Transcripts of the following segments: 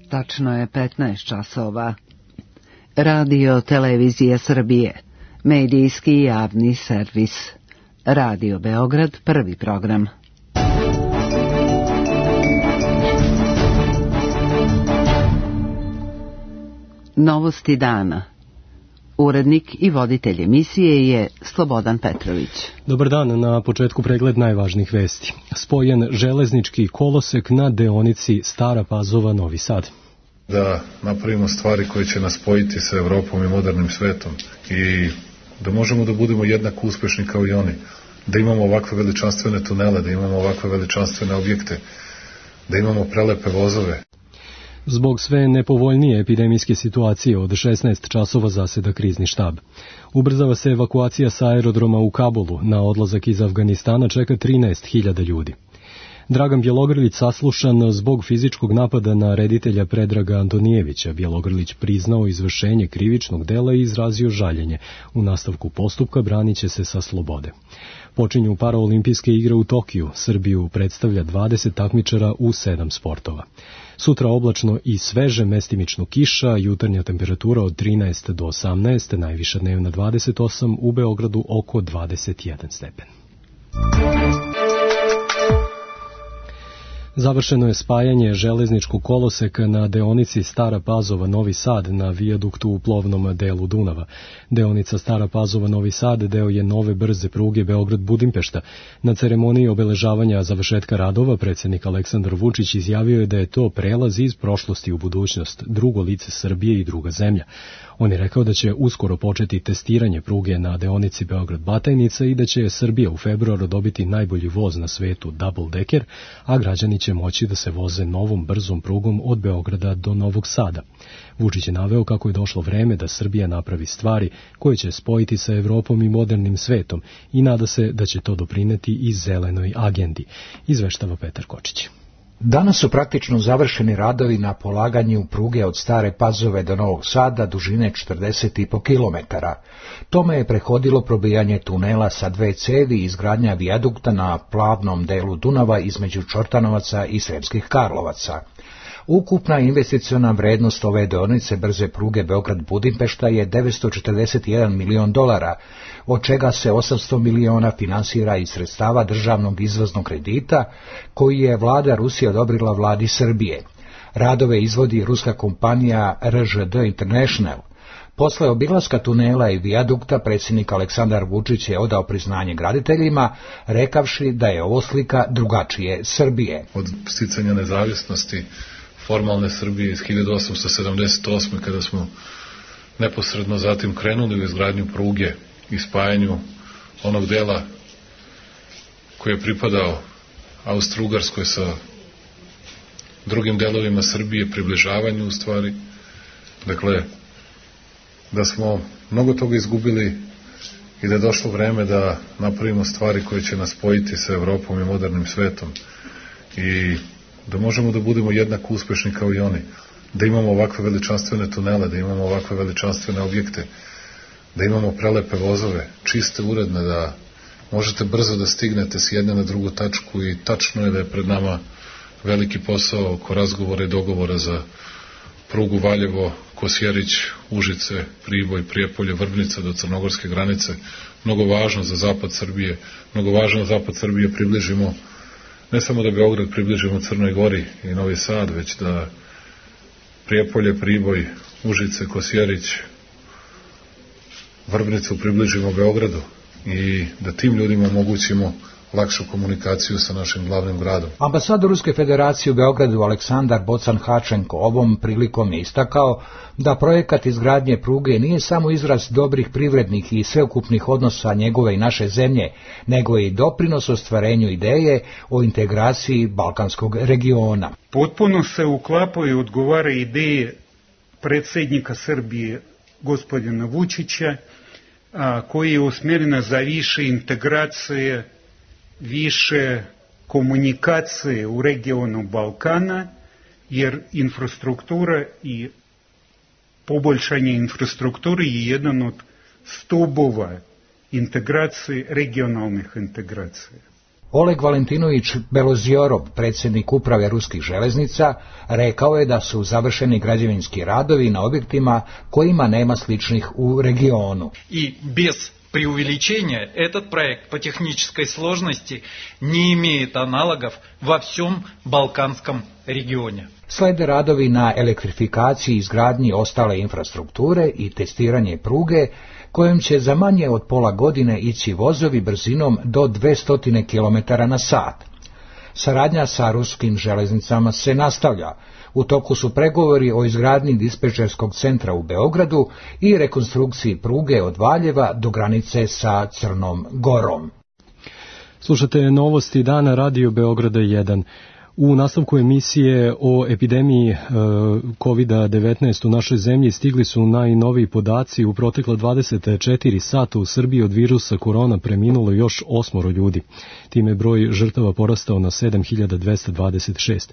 Tačno je 15 časova. Radio Televizija Srbije, medijski javni servis. Radio Beograd, prvi program. Novosti dana. Urednik i voditelj emisije je Slobodan Petrović. Dobar dan, na početku pregled najvažnijih vesti. Spojen železnički kolosek na deonici Stara Pazova-Novi Sad. Da napravimo stvari koje će nas spojiti sa Evropom i modernim svetom i da možemo da budemo jednako uspešni kao i oni. Da imamo ovakve veličanstvene tunele, da imamo ovakve veličanstvene objekte, da imamo prelepe vozove. Zbog sve nepovoljnije epidemijske situacije od 16 časova zaseda krizni štab. Ubrzava se evakuacija sa aerodroma u Kabulu. Na odlazak iz Afganistana čeka 13.000 ljudi. Dragan Bjelogrlić saslušan zbog fizičkog napada na reditelja Predraga Antonijevića. Bjelogrlić priznao izvršenje krivičnog dela i izrazio žaljenje. U nastavku postupka branit će se sa slobode. Počinju paraolimpijske igre u Tokiju. Srbiju predstavlja 20 takmičara u 7 sportova. Sutra oblačno i sveže, mestimično kiša, jutarnja temperatura od 13 do 18, najviša dnevna 28, u Beogradu oko 21 stepen. Završeno je spajanje železničkog koloseka na deonici Stara Pazova-Novi Sad na vijaduktu u plovnom delu Dunava. Deonica Stara Pazova-Novi Sad deo je nove brze pruge Beograd-Budimpešta. Na ceremoniji obeležavanja završetka radova predsjednik Aleksandar Vučić izjavio je da je to prelaz iz prošlosti u budućnost, drugo lice Srbije i druga zemlja. On je rekao da će uskoro početi testiranje pruge na deonici Beograd-Batajnica i da će Srbija u februaru dobiti najbolji voz na svetu, double decker, a građani će moći da se voze novom brzom prugom od Beograda do Novog Sada. Vučić je naveo kako je došlo vreme da Srbija napravi stvari koje će spojiti sa Evropom i modernim svetom i nada se da će to doprineti i zelenoj agendi, izveštava Petar Kočić. Danas su praktično završeni radovi na polaganju pruge od Stare Pazove do Novog Sada dužine 40,5 km. Tome je prethodilo probijanje tunela sa 2 cevi i izgradnja vijadukta na plavnom delu Dunava između Čortanovaca i Sremskih Karlovaca. Ukupna investiciona vrednost ove deonice brze pruge Beograd-Budimpešta je $941 milion, od čega se 800 miliona finansira iz sredstava državnog izvoznog kredita koji je vlada Rusije odobrila vladi Srbije. Radove izvodi ruska kompanija RŽD International. Posle obilaska tunela i vijadukta predsjednik Aleksandar Vučić je odao priznanje graditeljima, rekavši da je ovo slika drugačije Srbije. Od sticanja nezavisnosti formalne Srbije iz 1878. kada smo neposredno zatim krenuli u izgradnju pruge i spajanju onog dela koji je pripadao Austro-Ugarskoj sa drugim delovima Srbije, približavanju u stvari. Dakle, da smo mnogo toga izgubili i da je došlo vreme da napravimo stvari koje će nas spojiti sa Evropom i modernim svetom i da možemo da budemo jednako uspešni kao i oni, da imamo ovakve veličanstvene tunele, da imamo ovakve veličanstvene objekte, da imamo prelepe vozove, čiste, uredne, da možete brzo da stignete s jedne na drugu tačku i tačno je da je pred nama veliki posao oko razgovora i dogovora za prugu Valjevo, Kosjerić, Užice, Priboj, Prijepolje, Vrbnica do crnogorske granice, mnogo važno za zapad Srbije, mnogo važno da zapad Srbije približimo, ne samo da Beograd približimo Crnoj Gori i Novi Sad, već da Prijepolje, Priboj, Užice, Kosjerić, Vrbnicu približimo Beogradu i da tim ljudima omogućimo lakšu komunikaciju sa našim glavnim gradom. Ambasador Ruske federacije u Beogradu Aleksandar Bocan-Hačenko ovom prilikom je istakao da projekat izgradnje pruge nije samo izraz dobrih privrednih i sveukupnih odnosa njegove i naše zemlje, nego i doprinos ostvarenju ideje o integraciji balkanskog regiona. Potpuno se uklapaju i odgovara ideje predsjednika Srbije gospodina Vučića, koji je usmjerena za više integracije, više komunikacije u regionu Balkana, jer infrastruktura i poboljšanje infrastrukture je jedan od stubova integracije, regionalnih integracija. Oleg Valentinović Belozorov, predsjednik uprave ruskih železnica, rekao je da su završeni građevinski radovi na objektima kojima nema sličnih u regionu. I bez преувеличения этот проект по технической сложности не имеет аналогов во всем Балканском регионе. Slede radovi na elektrifikaciji i izgradnji ostale infrastrukture i testiranje pruge, kojom će za manje od pola godine ići vozovi brzinom do 200 km/h. Saradnja sa ruskim železnicama se nastavlja. U toku su pregovori o izgradnji dispečerskog centra u Beogradu i rekonstrukciji pruge od Valjeva do granice sa Crnom Gorom. Slušate novosti dana Radio Beograda 1. U nastavku emisije o epidemiji COVID-19 u našoj zemlji stigli su najnoviji podaci. U protekla 24 sata u Srbiji od virusa korona preminulo još 8 ljudi. Time je broj žrtava porastao na 7226.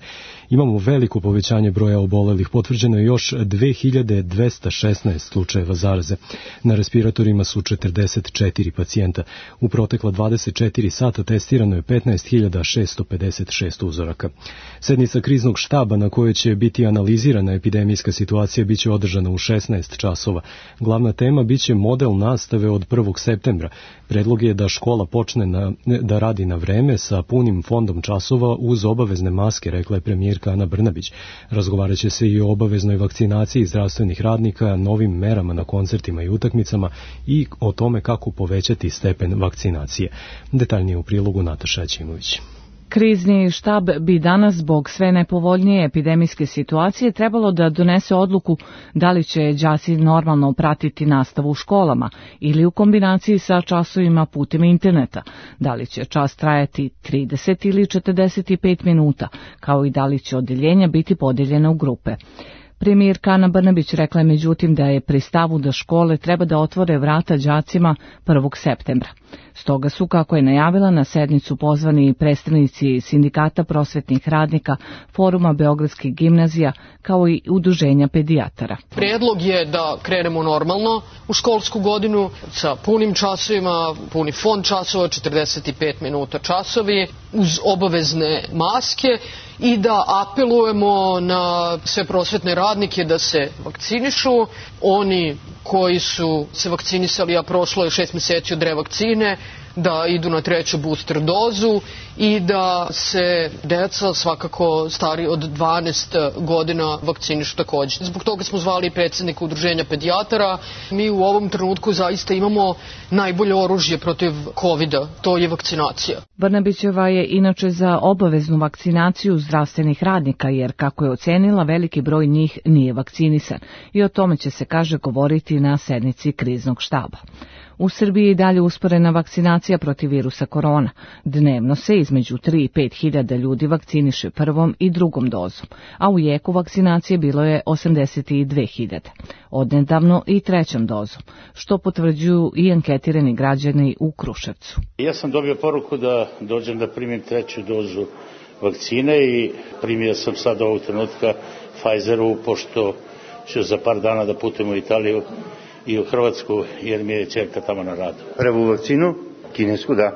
Imamo veliko povećanje broja obolelih. Potvrđeno je još 2216 slučajeva zaraze. Na respiratorima su 44 pacijenta. U protekla 24 sata testirano je 15.656 uzoraka. Sednica kriznog štaba na kojoj će biti analizirana epidemijska situacija biće održana u 16 časova. Glavna tema biće model nastave od 1. septembra. Predlog je da škola počne da radi na vreme sa punim fondom časova uz obavezne maske, rekla je premijerka Ana Brnabić. Razgovarat će se i o obaveznoj vakcinaciji zdravstvenih radnika, novim merama na koncertima i utakmicama i o tome kako povećati stepen vakcinacije. Detaljnije u prilogu Nataša Aćimović. Krizni štab bi danas zbog sve nepovoljnije epidemijske situacije trebalo da donese odluku da li će đaci normalno pratiti nastavu u školama ili u kombinaciji sa časovima putem interneta, da li će čas trajati 30 ili 45 minuta, kao i da li će odeljenja biti podeljene u grupe. Premijerka Ana Brnabić rekla je međutim da je pri stavu da škole treba da otvore vrata đacima 1. septembra. Stoga su, kako je najavila, na sednicu pozvani predstavnici Sindikata prosvetnih radnika, Foruma beogradskih gimnazija, kao i udruženja pedijatara. Prijedlog je da krenemo normalno u školsku godinu sa punim časovima, puni fond časova, 45 minuta časovi, uz obavezne maske i da apelujemo na sve prosvetne radnike da se vakcinišu. Oni koji su se vakcinisali, a prošlo je 6 meseci od revakcine, da idu na 3. booster dozu i da se deca, svakako stari od 12 godina, vakcinišu također. Zbog toga smo zvali predsjednika udruženja pedijatara. Mi u ovom trenutku zaista imamo najbolje oružje protiv COVID-a, to je vakcinacija. Brnabićeva je inače za obaveznu vakcinaciju zdravstvenih radnika, jer, kako je ocenila, veliki broj njih nije vakcinisan i o tome će se, kaže, govoriti na sednici kriznog štaba. U Srbiji je dalje usporena vakcinacija protiv virusa korona. Dnevno se između 3 i 5 hiljada ljudi vakciniše prvom i drugom dozom, a u jeku vakcinacije bilo je 82.000, odnedavno i 3. dozom, što potvrđuju i anketirani građani u Kruševcu. Ja sam dobio poruku da dođem da primim 3. dozu vakcine i primio sam sad ovog trenutka Pfizeru, pošto ću za par dana da putujem u Italiju i u Hrvatsku, jer mi je ćerka tamo na radu. Prvu vakcinu, kinesku, da.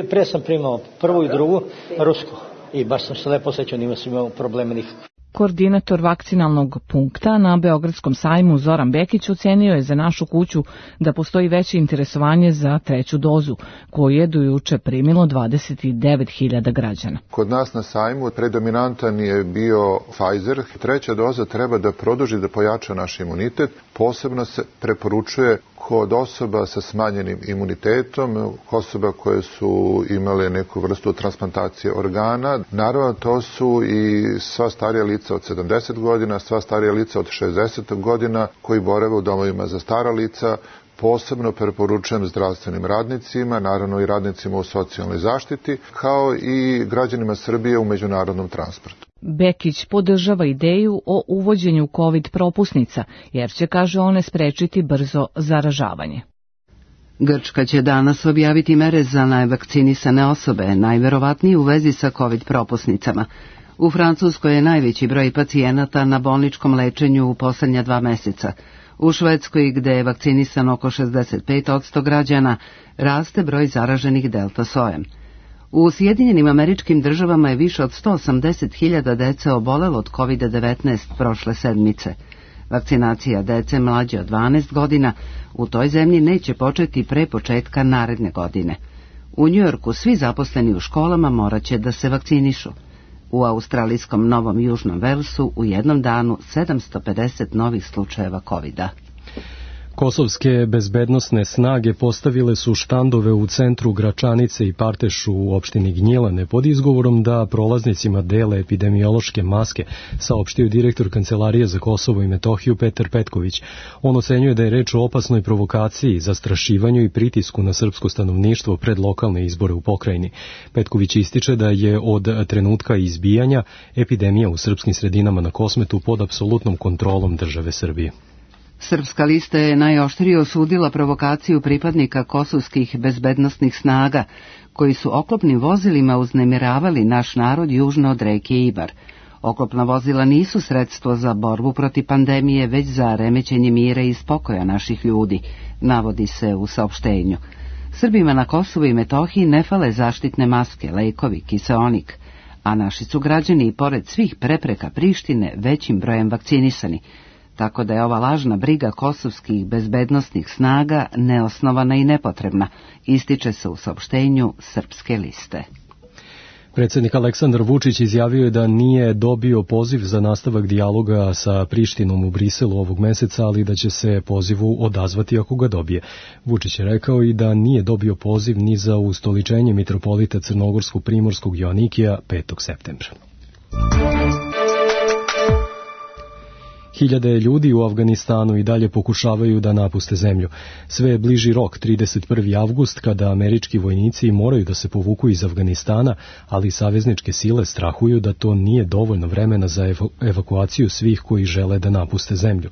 Pre sam primao prvu i drugu, rusku, i baš sam se lepo osjećao, nima sam imao problema nikakve. Koordinator vakcinalnog punkta na Beogradskom sajmu Zoran Bekić ocenio je za našu kuću da postoji veće interesovanje za 3. dozu, koju je do juče primilo 29.000 građana. Kod nas na sajmu predominantan je bio Pfizer. 3. doza treba da produži, da pojača naš imunitet. Posebno se preporučuje kod osoba sa smanjenim imunitetom, osoba koje su imale neku vrstu transplantacije organa. Naravno, to su i sva starija lica od 70 godina, sva starija lica od 60 godina koji borave u domovima za stara lica. Posebno preporučujem zdravstvenim radnicima, naravno i radnicima u socijalnoj zaštiti, kao i građanima Srbije u međunarodnom transportu. Bekić podržava ideju o uvođenju COVID propusnica, jer će, kaže, one sprečiti brzo zaražavanje. Grčka će danas objaviti mere za nevakcinisane osobe, najverovatnije u vezi sa COVID propusnicama. U Francuskoj je najveći broj pacijenata na bolničkom lečenju u poslednja 2 meseca. U Švedskoj, gde je vakcinisano oko 65% građana, raste broj zaraženih delta sojem. U Sjedinjenim Američkim Državama je više od 180.000 dece obolelo od COVID-19 prošle sedmice. Vakcinacija dece mlađe od 12 godina u toj zemlji neće početi pre početka naredne godine. U Njujorku svi zaposleni u školama morat će da se vakcinišu. U australijskom Novom Južnom Velsu u jednom danu 750 novih slučajeva COVID-a. Kosovske bezbednosne snage postavile su štandove u centru Gračanice i Partešu u opštini Gnjilane pod izgovorom da prolaznicima dele epidemiološke maske, saopštio direktor Kancelarije za Kosovo i Metohiju Petar Petković. On ocenjuje da je reč o opasnoj provokaciji, zastrašivanju i pritisku na srpsko stanovništvo pred lokalne izbore u pokrajini. Petković ističe da je od trenutka izbijanja epidemija u srpskim sredinama na Kosmetu pod apsolutnom kontrolom države Srbije. Srpska lista je najoštrije osudila provokaciju pripadnika kosovskih bezbednosnih snaga, koji su oklopnim vozilima uznemiravali naš narod južno od reke Ibar. Oklopna vozila nisu sredstvo za borbu protiv pandemije, već za remećenje mira i spokoja naših ljudi, navodi se u saopštenju. Srbima na Kosovu i Metohiji ne fale zaštitne maske, lekovi, kiseonik, a naši su građani, pored svih prepreka Prištine, većim brojem vakcinisani, tako da je ova lažna briga kosovskih bezbednosnih snaga neosnovana i nepotrebna, ističe se u saopštenju Srpske liste. Predsjednik Aleksandar Vučić izjavio je da nije dobio poziv za nastavak dijaloga sa Prištinom u Briselu ovog meseca, ali da će se pozivu odazvati ako ga dobije. Vučić je rekao i da nije dobio poziv ni za ustoličenje mitropolita Crnogorskog Primorskog Joanikija 5. septembra. Hiljade ljudi u Afganistanu i dalje pokušavaju da napuste zemlju. Sve je bliži rok, 31. avgust, kada američki vojnici moraju da se povuku iz Afganistana, ali savezničke sile strahuju da to nije dovoljno vremena za evakuaciju svih koji žele da napuste zemlju.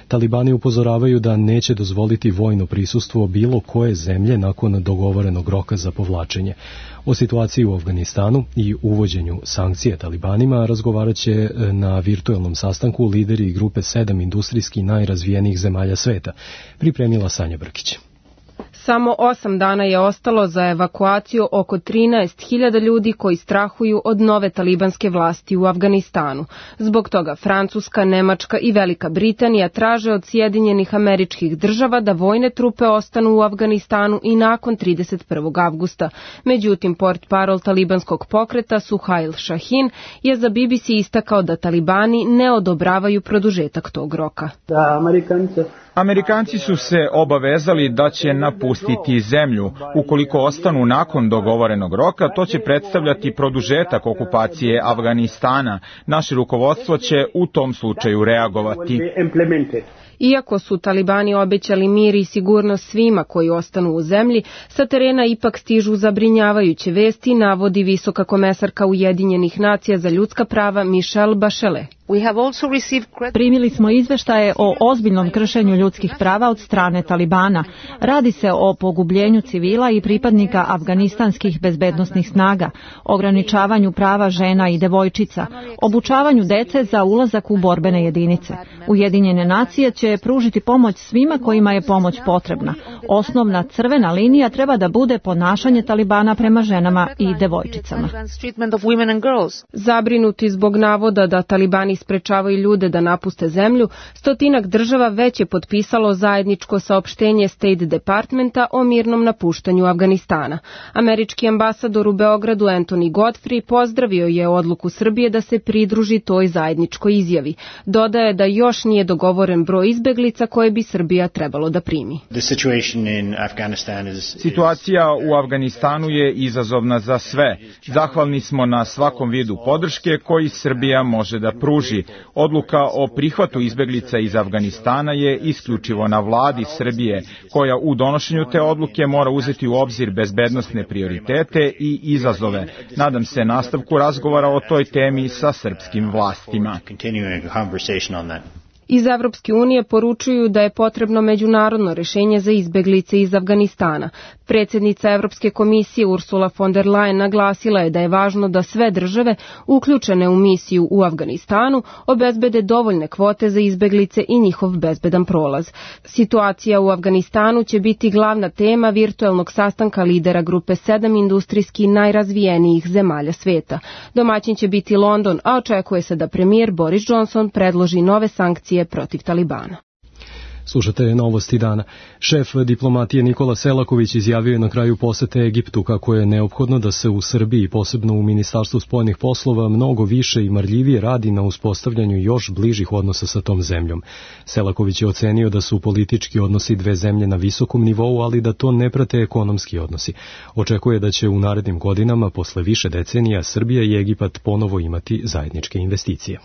Talibani upozoravaju da neće dozvoliti vojno prisustvo bilo koje zemlje nakon dogovorenog roka za povlačenje. O situaciji u Afganistanu i uvođenju sankcija Talibanima razgovarat će na virtualnom sastanku lideri grupe 7 industrijski najrazvijenijih zemalja sveta, pripremila Sanja Brkić. Samo 8 dana je ostalo za evakuaciju oko 13.000 ljudi koji strahuju od nove talibanske vlasti u Afganistanu. Zbog toga Francuska, Nemačka i Velika Britanija traže od Sjedinjenih Američkih Država da vojne trupe ostanu u Afganistanu i nakon 31. avgusta. Međutim, portparol talibanskog pokreta Suhail Shahin je za BBC istakao da talibani ne odobravaju produžetak tog roka. Amerikanci su se obavezali da će napustiti zemlju. Ukoliko ostanu nakon dogovorenog roka, to će predstavljati produžetak okupacije Afganistana. Naše rukovodstvo će u tom slučaju reagovati. Iako su talibani obećali mir i sigurnost svima koji ostanu u zemlji, sa terena ipak stižu zabrinjavajuće vesti, navodi visoka komesarka Ujedinjenih nacija za ljudska prava Michelle Bachelet. Primili smo izveštaje o ozbiljnom kršenju ljudskih prava od strane Talibana. Radi se o pogubljenju civila i pripadnika afganistanskih bezbednosnih snaga, ograničavanju prava žena i devojčica, obučavanju dece za ulazak u borbene jedinice. Ujedinjene nacije će pružiti pomoć svima kojima je pomoć potrebna. Osnovna crvena linija treba da bude ponašanje Talibana prema ženama i devojčicama. Zabrinuti zbog navoda da Talibani sprečavaju ljude da napuste zemlju, 100 država već je potpisalo zajedničko saopštenje State Departmenta o mirnom napuštanju Afganistana. Američki ambasador u Beogradu Anthony Godfrey pozdravio je odluku Srbije da se pridruži toj zajedničkoj izjavi. Dodaje da još nije dogovoren broj izbeglica koje bi Srbija trebalo da primi. Situacija u Afganistanu je izazovna za sve. Zahvalni smo na svakom vidu podrške koji Srbija može da pruži. Odluka o prihvatu izbeglica iz Afganistana je isključivo na vladi Srbije, koja u donošenju te odluke mora uzeti u obzir bezbednosne prioritete i izazove. Nadam se nastavku razgovora o toj temi sa srpskim vlastima. Iz Evropske unije poručuju da je potrebno međunarodno rešenje za izbeglice iz Afganistana. Predsjednica Evropske komisije Ursula von der Leyen naglasila je da je važno da sve države uključene u misiju u Afganistanu obezbede dovoljne kvote za izbeglice i njihov bezbedan prolaz. Situacija u Afganistanu će biti glavna tema virtuelnog sastanka lidera grupe 7 industrijski najrazvijenijih zemalja sveta. Domaćin će biti London, a očekuje se da premijer Boris Johnson predloži nove sankcije protiv Talibana. Slušate novosti dana. Šef diplomatije Nikola Selaković izjavio je na kraju posete Egiptu kako je neophodno da se u Srbiji, posebno u Ministarstvu spoljnih poslova, mnogo više i marljivije radi na uspostavljanju još bližih odnosa sa tom zemljom. Selaković je ocenio da su politički odnosi dve zemlje na visokom nivou, ali da to ne prate ekonomski odnosi. Očekuje da će u narednim godinama, posle više decenija, Srbija i Egipat ponovo imati zajedničke investicije.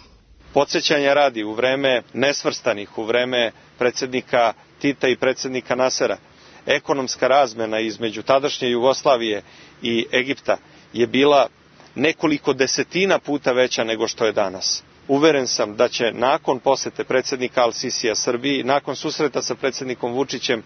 Podsjećanja radi, u vreme nesvrstanih, u vreme predsjednika Tita i predsjednika Nasera, ekonomska razmena između tadašnje Jugoslavije i Egipta je bila nekoliko desetina puta veća nego što je danas. Uveren sam da će nakon posete predsjednika Al-Sisija Srbiji, nakon susreta sa predsjednikom Vučićem,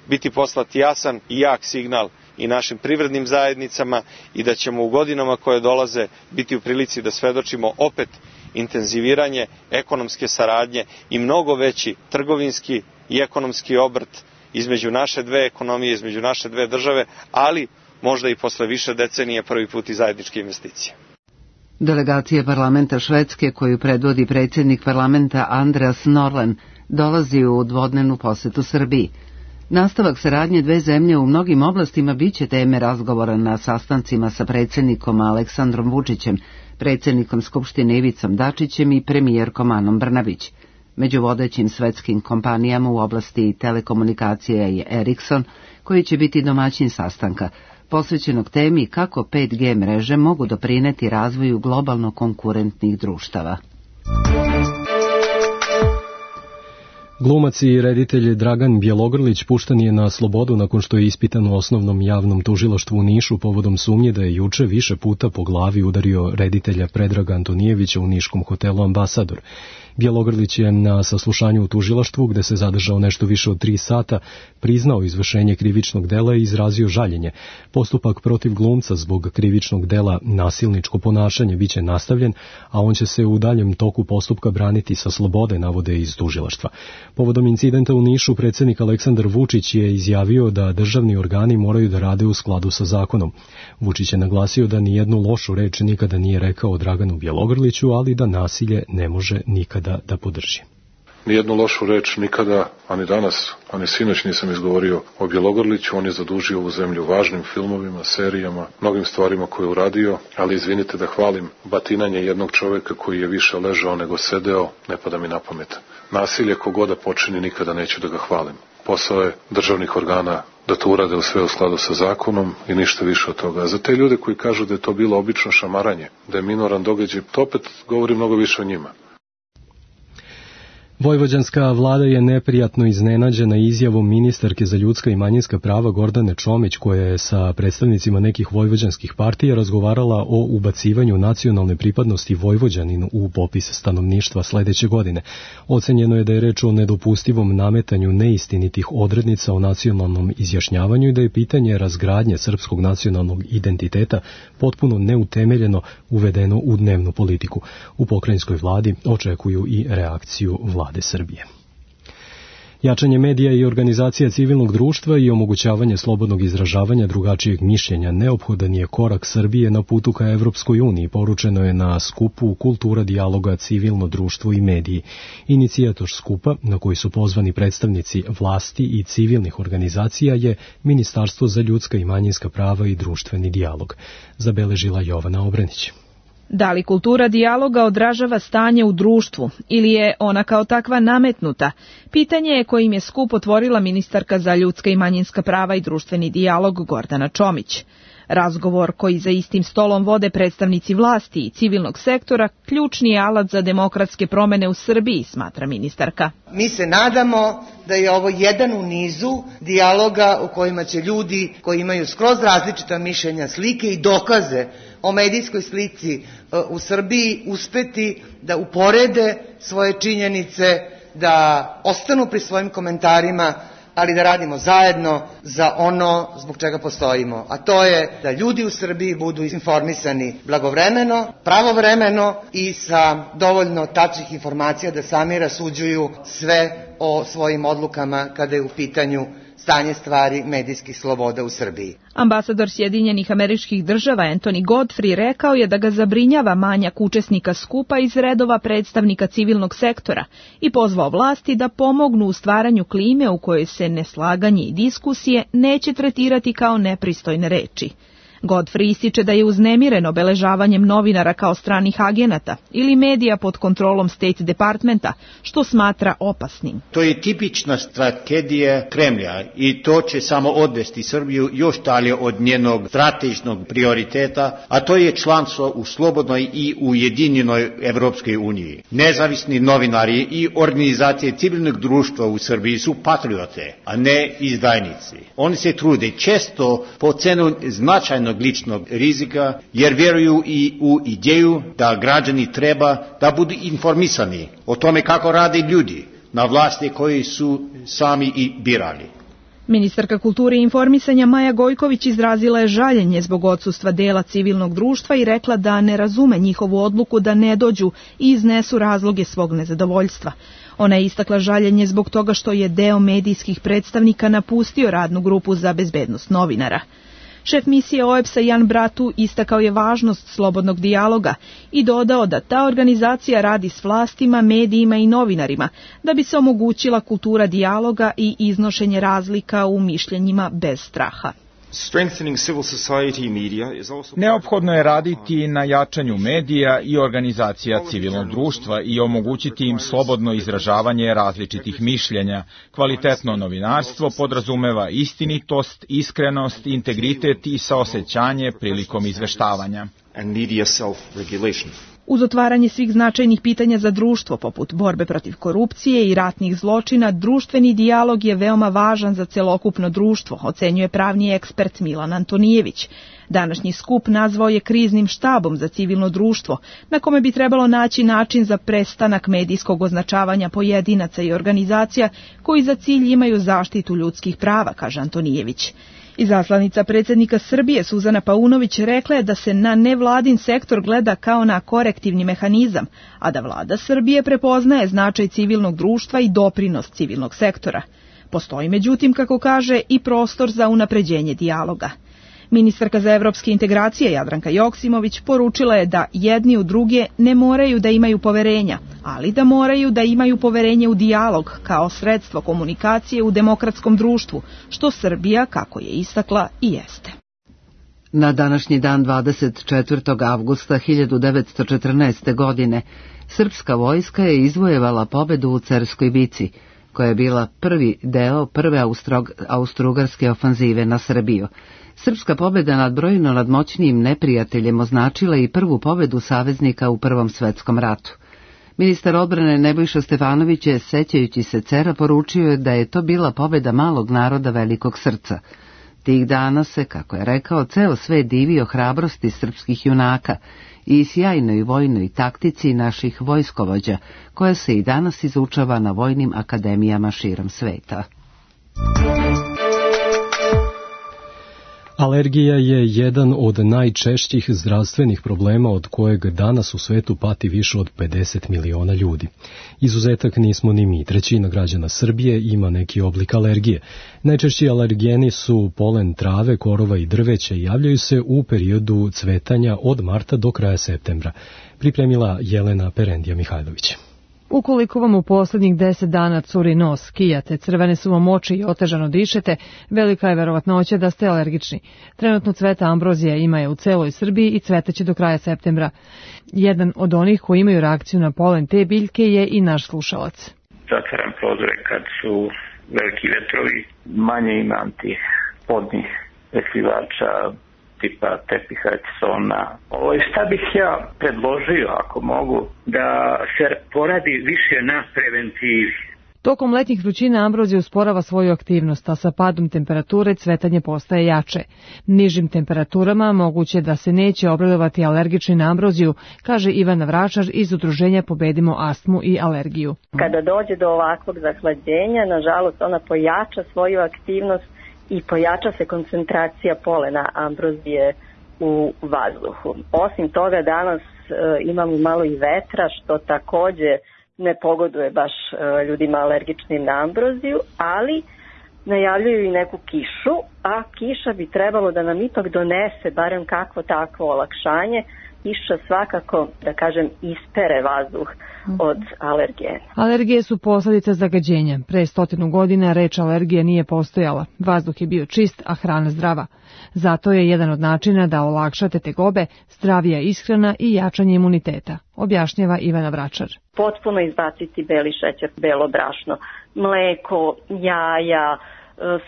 biti poslat jasan i jak signal i našim privrednim zajednicama i da ćemo u godinama koje dolaze biti u prilici da svedočimo opet intenziviranje ekonomske saradnje i mnogo veći trgovinski i ekonomski obrt između naše dve ekonomije, između naše dve države, ali možda i posle više decenije prvi put i zajedničke investicije. Delegacija parlamenta Švedske, koju predvodi predsjednik parlamenta Andreas Norlén, dolazi u dvodnevnu posetu Srbiji. Nastavak saradnje dve zemlje u mnogim oblastima biće teme razgovora na sastancima sa predsjednikom Aleksandrom Vučićem, predsjednikom Skupštine Ivicom Dačićem i premijerkom Anom Brnabić. Među vodećim svetskim kompanijama u oblasti telekomunikacija je Ericsson, koji će biti domaćin sastanka, posvećenog temi kako 5G mreže mogu doprineti razvoju globalno konkurentnih društava. Glumac i reditelj Dragan Bjelogrlić pušten je na slobodu nakon što je ispitan u osnovnom javnom tužilaštvu u Nišu povodom sumnje da je juče više puta po glavi udario reditelja Predraga Antonijevića u niškom hotelu Ambasador. Bjelogrlić je na saslušanju u tužilaštvu, gde se zadržao nešto više od 3 sata, priznao izvršenje krivičnog dela i izrazio žaljenje. Postupak protiv glumca zbog krivičnog dela nasilničko ponašanje biće nastavljen, a on će se u daljem toku postupka braniti sa slobode, navode iz tužilaštva. Povodom incidenta u Nišu, predsjednik Aleksandar Vučić je izjavio da državni organi moraju da rade u skladu sa zakonom. Vučić je naglasio da nijednu lošu reč nikada nije rekao Draganu Bjelogrliću, ali da nasilje ne može nikada da podrži. Nijednu lošu reč nikada, ani danas, ani sinoć nisam izgovorio o Bjelogrliću. On je zadužio ovu zemlju važnim filmovima, serijama, mnogim stvarima koje je uradio, ali izvinite da hvalim batinanje jednog čoveka koji je više ležao nego sedeo, ne pada mi na pamet. Nasilje kogoda počini nikada neću da ga hvalim. Posao je državnih organa da to urade u sve u skladu sa zakonom i ništa više od toga. A za te ljude koji kažu da je to bilo obično šamaranje, da je minoran događaj, to opet govori mnogo više o njima. Vojvođanska vlada je neprijatno iznenađena izjavom ministarke za ljudska i manjinska prava Gordane Čomić, koja je sa predstavnicima nekih vojvođanskih partija razgovarala o ubacivanju nacionalne pripadnosti Vojvođanin u popis stanovništva sledeće godine. Ocenjeno je da je reč o nedopustivom nametanju neistinitih odrednica o nacionalnom izjašnjavanju i da je pitanje razgradnje srpskog nacionalnog identiteta potpuno neutemeljeno uvedeno u dnevnu politiku. U pokrajinskoj vladi očekuju i reakciju vlade Srbije. Jačanje medija i organizacija civilnog društva i omogućavanje slobodnog izražavanja drugačijeg mišljenja neophodan je korak Srbije na putu ka Evropskoj uniji, poručeno je na skupu Kultura dijaloga, civilno društvo i mediji. Inicijator skupa, na koji su pozvani predstavnici vlasti i civilnih organizacija, je Ministarstvo za ljudska i manjinska prava i društveni dijalog, zabeležila Jovana Obrenić. Da li kultura dijaloga odražava stanje u društvu ili je ona kao takva nametnuta? Pitanje je kojim je skup otvorila ministarka za ljudska i manjinska prava i društveni dijalog Gordana Čomić. Razgovor koji za istim stolom vode predstavnici vlasti i civilnog sektora ključni je alat za demokratske promene u Srbiji, smatra ministarka. Mi se nadamo da je ovo jedan u nizu dijaloga u kojima će ljudi koji imaju skroz različita mišljenja, slike i dokaze o medijskoj slici u Srbiji uspeti da uporede svoje činjenice, da ostanu pri svojim komentarima, ali da radimo zajedno za ono zbog čega postojimo, a to je da ljudi u Srbiji budu informisani blagovremeno, pravovremeno i sa dovoljno tačnih informacija da sami rasuđuju sve o svojim odlukama kada je u pitanju stanje stvari medijskih sloboda u Srbiji. Ambasador Sjedinjenih Američkih Država Anthony Godfrey rekao je da ga zabrinjava manjak učesnika skupa iz redova predstavnika civilnog sektora i pozvao vlasti da pomognu u stvaranju klime u kojoj se neslaganje i diskusije neće tretirati kao nepristojne reči. Godfrey ističe da je uznemiren obeležavanjem novinara kao stranih agenata ili medija pod kontrolom State Departmenta, što smatra opasnim. To je tipična strategija Kremlja i to će samo odvesti Srbiju još dalje od njenog strateškog prioriteta, a to je članstvo u slobodnoj i ujedinjenoj Evropskoj uniji. Nezavisni novinari i organizacije civilnog društva u Srbiji su patriote, a ne izdajnici. Oni se trude često po cenu značajnog ličnog rizika, jer vjeruju i u ideju da građani treba da budu informisani o tome kako rade ljudi na vlasti koji su sami i birali. Ministarka kulture i informisanja Maja Gojković izrazila je žaljenje zbog odsustva dela civilnog društva i rekla da ne razume njihovu odluku da ne dođu i iznesu razloge svog nezadovoljstva. Ona je istakla žaljenje zbog toga što je deo medijskih predstavnika napustio radnu grupu za bezbednost novinara. Šef misije OEBS-a Jan Bratu istakao je važnost slobodnog dijaloga i dodao da ta organizacija radi s vlastima, medijima i novinarima da bi se omogućila kultura dijaloga i iznošenje razlika u mišljenjima bez straha. Neophodno je raditi na jačanju medija i organizacija civilnog društva i omogućiti im slobodno izražavanje različitih mišljenja. Kvalitetno novinarstvo podrazumeva istinitost, iskrenost, integritet i saosećanje prilikom izveštavanja. Uz otvaranje svih značajnih pitanja za društvo, poput borbe protiv korupcije i ratnih zločina, društveni dijalog je veoma važan za celokupno društvo, ocenjuje pravni ekspert Milan Antonijević. Današnji skup nazvao je kriznim štabom za civilno društvo, na kome bi trebalo naći način za prestanak medijskog označavanja pojedinaca i organizacija koji za cilj imaju zaštitu ljudskih prava, kaže Antonijević. Izaslanica predsjednika Srbije Suzana Paunović rekla je da se na nevladin sektor gleda kao na korektivni mehanizam, a da vlada Srbije prepoznaje značaj civilnog društva i doprinos civilnog sektora. Postoji, međutim, kako kaže, i prostor za unapređenje dijaloga. Ministarka za evropske integracije Jadranka Joksimović poručila je da jedni u druge ne moraju da imaju poverenja, ali da moraju da imaju poverenje u dijalog kao sredstvo komunikacije u demokratskom društvu, što Srbija, kako je istakla, i jeste. Na današnji dan 24. avgusta 1914. godine srpska vojska je izvojevala pobedu u Cerskoj bici, koja je bila prvi deo prve austrougarske ofanzive na Srbiju. Srpska pobjeda nad brojno nadmoćnijim neprijateljem označila i prvu pobedu saveznika u Prvom svetskom ratu. Ministar odbrane Nebojša Stefanović je, sećajući se Cera, poručio da je to bila pobjeda malog naroda velikog srca. Tih dana se, kako je rekao, ceo svet divio hrabrosti srpskih junaka i sjajnoj vojnoj taktici naših vojskovođa, koja se i danas izučava na vojnim akademijama širom sveta. Alergija je jedan od najčešćih zdravstvenih problema od kojeg danas u svetu pati više od 50 miliona ljudi. Izuzetak nismo ni mi. Trećina građana Srbije ima neki oblik alergije. Najčešći alergeni su polen trave, korova i drveća i javljaju se u periodu cvetanja od marta do kraja septembra. Pripremila Jelena Perendija Mihajlović. Ukoliko vam u posljednjih 10 dana curi nos, kijate, crvene su vam oči i otežano dišete, velika je verovatnoća da ste alergični. Trenutno cveta ambrozija ima je u celoj Srbiji i cvetaće do kraja septembra. Jedan od onih koji imaju reakciju na polen te biljke je i naš slušalac. Zatvaram prozore kad su veliki vetrovi, manje imam tih podnih prekrivača, tipa tepiha, Rexona. Šta bih ja predložio, ako mogu, da se poradi više na preventivi. Tokom letnjih vrućina ambrozija usporava svoju aktivnost, a sa padom temperature cvetanje postaje jače. Nižim temperaturama moguće da se neće obradovati alergični na ambroziju, kaže Ivana Vračar iz udruženja Pobedimo astmu i alergiju. Kada dođe do ovakvog zahlađenja, nažalost ona pojača svoju aktivnost i pojača se koncentracija polena ambrozije u vazduhu. Osim toga danas imamo malo i vetra, što takođe ne pogoduje baš ljudima alergičnim na ambroziju, ali najavljuju i neku kišu, a kiša bi trebalo da nam ipak donese barem kakvo takvo olakšanje. Kiša svakako, da kažem, ispere vazduh od alergena. Alergije su posledica zagađenja. Pre 100 godina reč alergija nije postojala. Vazduh je bio čist, a hrana zdrava. Zato je jedan od načina da olakšate tegobe, zdravija ishrana i jačanje imuniteta, objašnjava Ivana Vračar. Potpuno izbaciti beli šećer, belo brašno, mleko, jaja,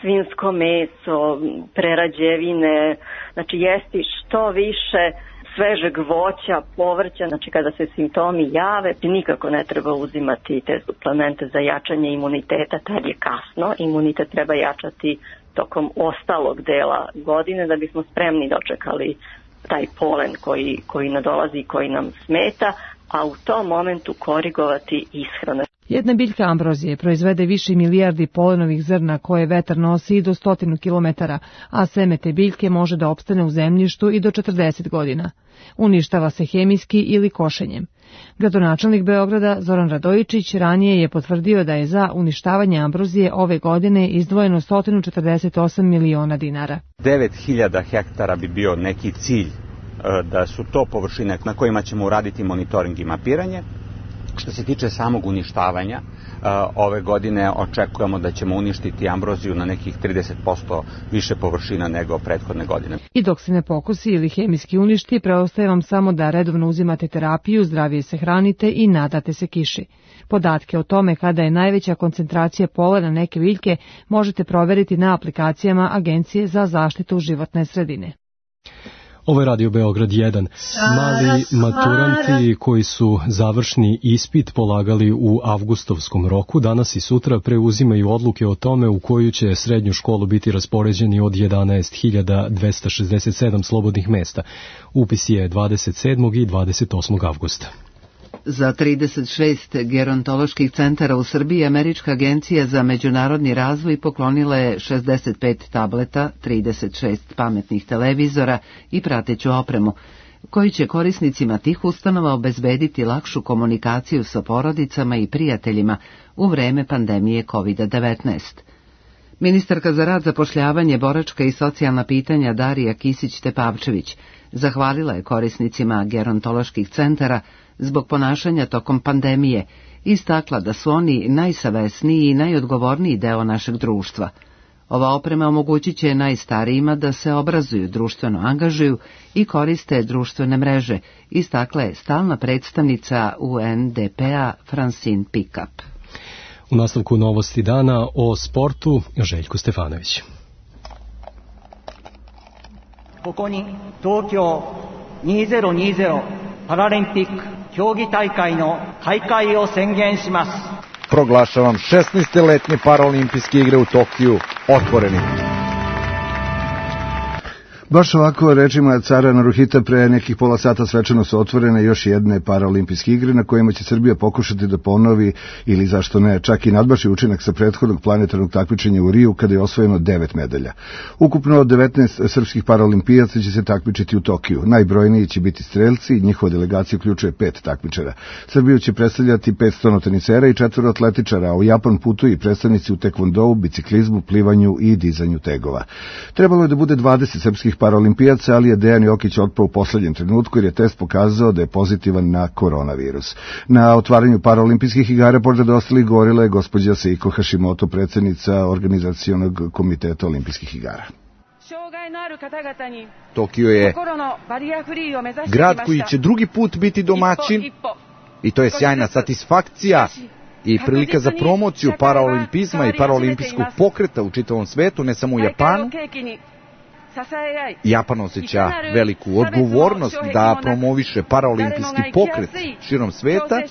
svinjsko meso, prerađevine, znači jesti što više svežeg voća, povrća, znači kada se simptomi jave, nikako ne treba uzimati te suplemente za jačanje imuniteta, tad je kasno, imunitet treba jačati tokom ostalog dela godine da bismo spremni dočekali taj polen koji nadolazi i koji nam smeta, a u tom momentu korigovati ishranu. Jedna biljka ambrozije proizvede više milijardi polenovih zrna koje vetar nosi i do 100 km, a seme te biljke može da opstane u zemljištu i do 40 godina. Uništava se hemijski ili košenjem. Gradonačelnik Beograda Zoran Radojičić ranije je potvrdio da je za uništavanje ambrozije ove godine izdvojeno 148 miliona dinara. 9000 hektara bi bio neki cilj da su to površine na kojima ćemo uraditi monitoring i mapiranje. Što se tiče samog uništavanja, ove godine očekujemo da ćemo uništiti ambroziju na nekih 30% više površina nego prethodne godine. I dok se ne pokosi ili hemijski uništi, preostaje vam samo da redovno uzimate terapiju, zdravije se hranite i nadate se kiši. Podatke o tome kada je najveća koncentracija polena neke biljke možete proveriti na aplikacijama Agencije za zaštitu životne sredine. Ovo je Radio Beograd 1. Mali maturanti koji su završni ispit polagali u avgustovskom roku, danas i sutra preuzimaju odluke o tome u koju će srednju školu biti raspoređeni od 11.267 slobodnih mesta. Upis je 27. i 28. avgusta. Za 36 gerontoloških centara u Srbiji Američka agencija za međunarodni razvoj poklonila je 65 tableta, 36 pametnih televizora i prateću opremu, koji će korisnicima tih ustanova obezbediti lakšu komunikaciju sa porodicama i prijateljima u vreme pandemije COVID-19. Ministarka za rad, zapošljavanje, boračka i socijalna pitanja Darija Kisić-Tepavčević zahvalila je korisnicima gerontoloških centara zbog ponašanja tokom pandemije, istakla da su oni najsavesniji i najodgovorniji deo našeg društva. Ova oprema omogućit će najstarijima da se obrazuju, društveno angažuju i koriste društvene mreže, istakla je stalna predstavnica UNDP-a Francine Pickup. U nastavku novosti dana o sportu Željko Stefanović. ここに東京2020パラリンピック競技大会の開会を宣言します。 Proglašavam 16. letnje paraolimpijske igre u Tokiju otvorenim. Baš ovako, rečima cara Naruhita, pre nekih pola sata svečano su otvorene još jedne paraolimpijske igre na kojima će Srbija pokušati da ponovi ili zašto ne, čak i nadbaši učinak sa prethodnog planetarnog takmičenja u Riju kada je osvojeno 9 medalja. Ukupno 19 srpskih paraolimpijaca će se takmičiti u Tokiju. Najbrojniji će biti strelci, njihova delegacija uključuje 5 takmičara. Srbiju će predstavljati 5 stonotenicera i 4 atletičara, a u Japan putuju i predstavnici u tekvondou, biciklizmu, plivanju i dizanju tegova. Trebalo je da bude 20 srpskih paraolimpijaca, ali je Dejan Jokić otpao u poslednjem trenutku jer je test pokazao da je pozitivan na koronavirus. Na otvaranju paraolimpijskih igara pored ostalih govorila je gospođa Seiko Hashimoto, predsjednica organizacionog komiteta olimpijskih igara. Tokio je grad koji će drugi put biti domaćin i to je sjajna satisfakcija i prilika za promociju paraolimpizma i paraolimpijskog pokreta u čitavom svetu, ne samo u Japanu. Japan osjeća veliku odgovornost da promoviše paraolimpijski pokret širom sveta.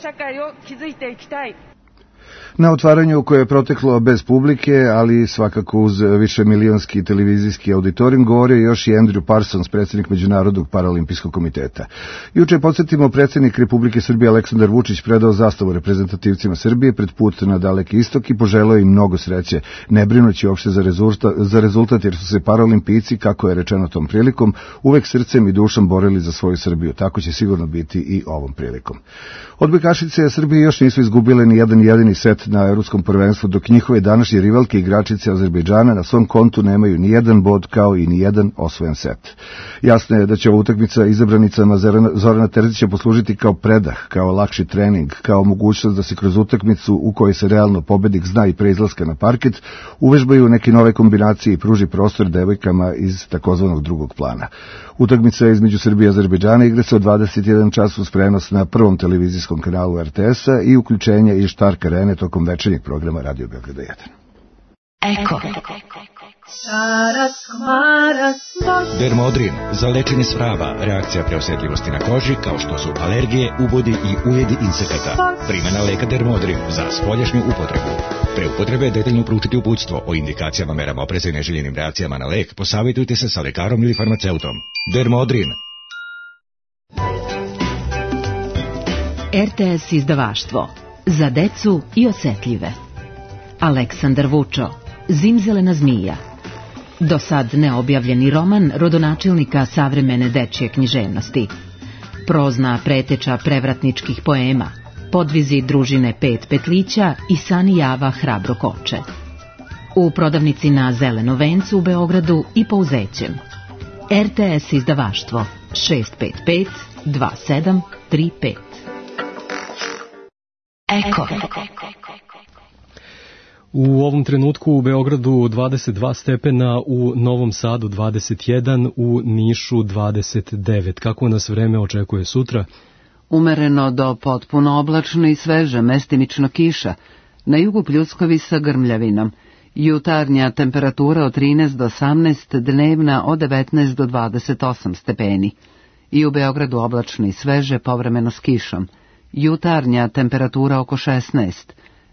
Na otvaranju koje je proteklo bez publike, ali svakako uz višemilionski televizijski auditorijum, govorio je još i Andrew Parsons, predsjednik Međunarodnog paraolimpijskog komiteta. Juče, podsjetimo, predsjednik Republike Srbije Aleksandar Vučić predao zastavu reprezentativcima Srbije pred put na Daleki istok i poželeo im mnogo sreće, ne brinući uopšte za rezultat, jer su se paraolimpijci, kako je rečeno tom prilikom, uvek srcem i dušom borili za svoju Srbiju. Tako će sigurno biti i ovom prilikom. Odbojkašice Srbije još nisu izgubile ni jedan jedini set na Evropskom prvenstvu, dok njihove današnje rivalke igračice Azerbejdžana na svom kontu nemaju ni jedan bod kao i ni jedan osvojen set. Jasno je da će ova utakmica izabranicama Zorana Terzića poslužiti kao predah, kao lakši trening, kao mogućnost da se kroz utakmicu u kojoj se realno pobednik zna i pre izlaska na parket uvežbaju neke nove kombinacije i pruži prostor devojkama iz takozvanog drugog plana. Utakmica između Srbije i Azerbejdžana igra se od 21 čas uz prenos na prvom televizijskom kanalu RTS-a i uključenje iz Štark Arene tokom večernjeg programa Radio Beograda 1. Eko. Dermodrin za lečenje svrava, reakcija preosetljivosti na koži kao što su alergije, ubodi i ujedi insekata. Primjena leka Dermodrin za spoljašnju upotrebu. Pre upotrebe detaljno proučiti uputstvo o indikacijama, merama opreza i neželjenim reakcijama na lek. Posavjetujte se sa lekarom ili farmaceutom. Dermodrin. RTS izdavaštvo za decu i osetljive. Aleksandar Vučo, Zimzelena zmija. Do sad neobjavljeni roman rodonačelnika savremene dečje književnosti. Prozna preteča prevratničkih poema, podvizi družine Pet petlića i Sani Java hrabro koče. U prodavnici na Zelenom vencu u Beogradu i po Uzećem. RTS izdavaštvo 655 2735. Eko. U ovom trenutku u Beogradu 22 stepena, u Novom Sadu 21, u Nišu 29. Kako nas vreme očekuje sutra? Umereno do potpuno oblačno i sveže, mestimično kiša. Na jugu pljuskovi sa grmljavinom. Jutarnja temperatura od 13 do 18, dnevna od 19 do 28 stepeni. I u Beogradu oblačno i sveže, povremeno s kišom. Jutarnja temperatura oko 16,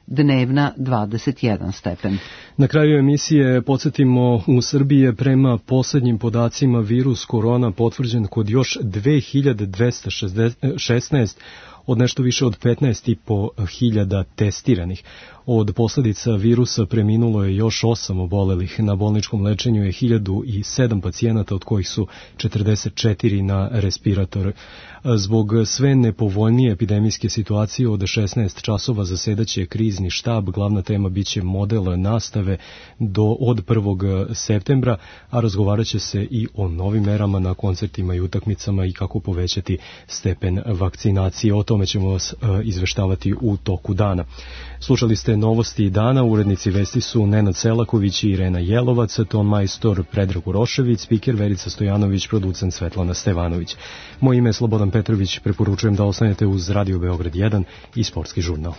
dnevna 21 stepen. Na kraju emisije podsjetimo, u Srbiji je prema poslednjim podacima virus korona potvrđen kod još 2216 od nešto više od 15.500 testiranih. Od posljedica virusa preminulo je još 8 obolelih. Na bolničkom lečenju je 1007 pacijenata, od kojih su 44 na respiratoru. Zbog sve nepovoljnije epidemijske situacije od 16 časova zasedaće krizni štab. Glavna tema biće model nastave od 1. septembra, a razgovarat će se i o novim merama na koncertima i utakmicama i kako povećati stepen vakcinacije. O tome ćemo vas izveštavati u toku dana. Slušali ste novosti dana, urednici vesti su Nenad Selaković i Irena Jelovac, ton majstor Predrag Urošević, spiker Verica Stojanović, producent Svetlana Stevanović. Moje ime je Slobodan Petrović, preporučujem da ostanete uz Radio Beograd 1 i Sportski žurnal.